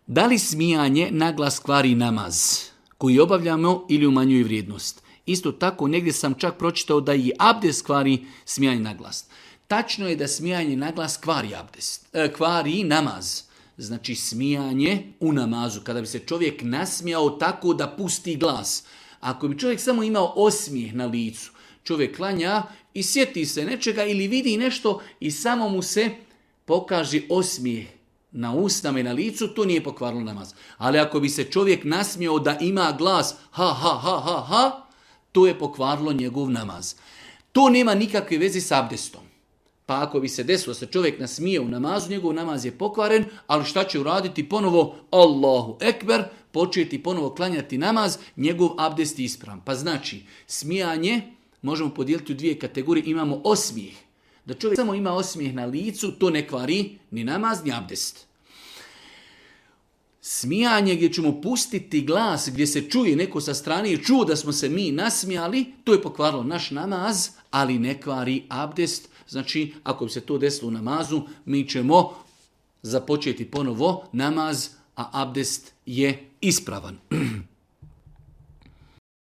Da li smijanje naglas kvari namaz koji obavljamo ili umanjuje vrijednost? Isto tako, negdje sam čak pročitao da i abdest kvari smijanje naglas. Tačno je da smijanje naglas kvari abdest, kvari namaz. Znači smijanje u namazu, kada bi se čovjek nasmijao tako da pusti glas. Ako bi čovjek samo imao osmijeh na licu, čovjek klanja i sjeti se nečega ili vidi nešto i samo mu se pokaže osmijeh na usnama i na licu, to nije pokvarilo namaz. Ali ako bi se čovjek nasmijao da ima glas ha, ha, ha, ha, ha, to je pokvarilo njegov namaz. To nema nikakve veze s abdestom. Pa ako bi se desilo da se čovjek nasmije u namazu, njegov namaz je pokvaren, ali šta će uraditi ponovo? Allahu ekber, početi ponovo klanjati namaz, njegov abdest je ispravan. Pa znači, smijanje možemo podijeliti u dvije kategorije. Imamo osmijeh. Da čovjek samo ima osmijeh na licu, to ne kvari ni namaz, ni abdest. Smijanje gdje ćemo pustiti glas, gdje se čuje neko sa strane i čuo da smo se mi nasmijali, to je pokvarilo naš namaz, ali ne kvari abdest. Znači, ako bi se to desilo u namazu, mi ćemo započeti ponovo namaz, a abdest je ispravan.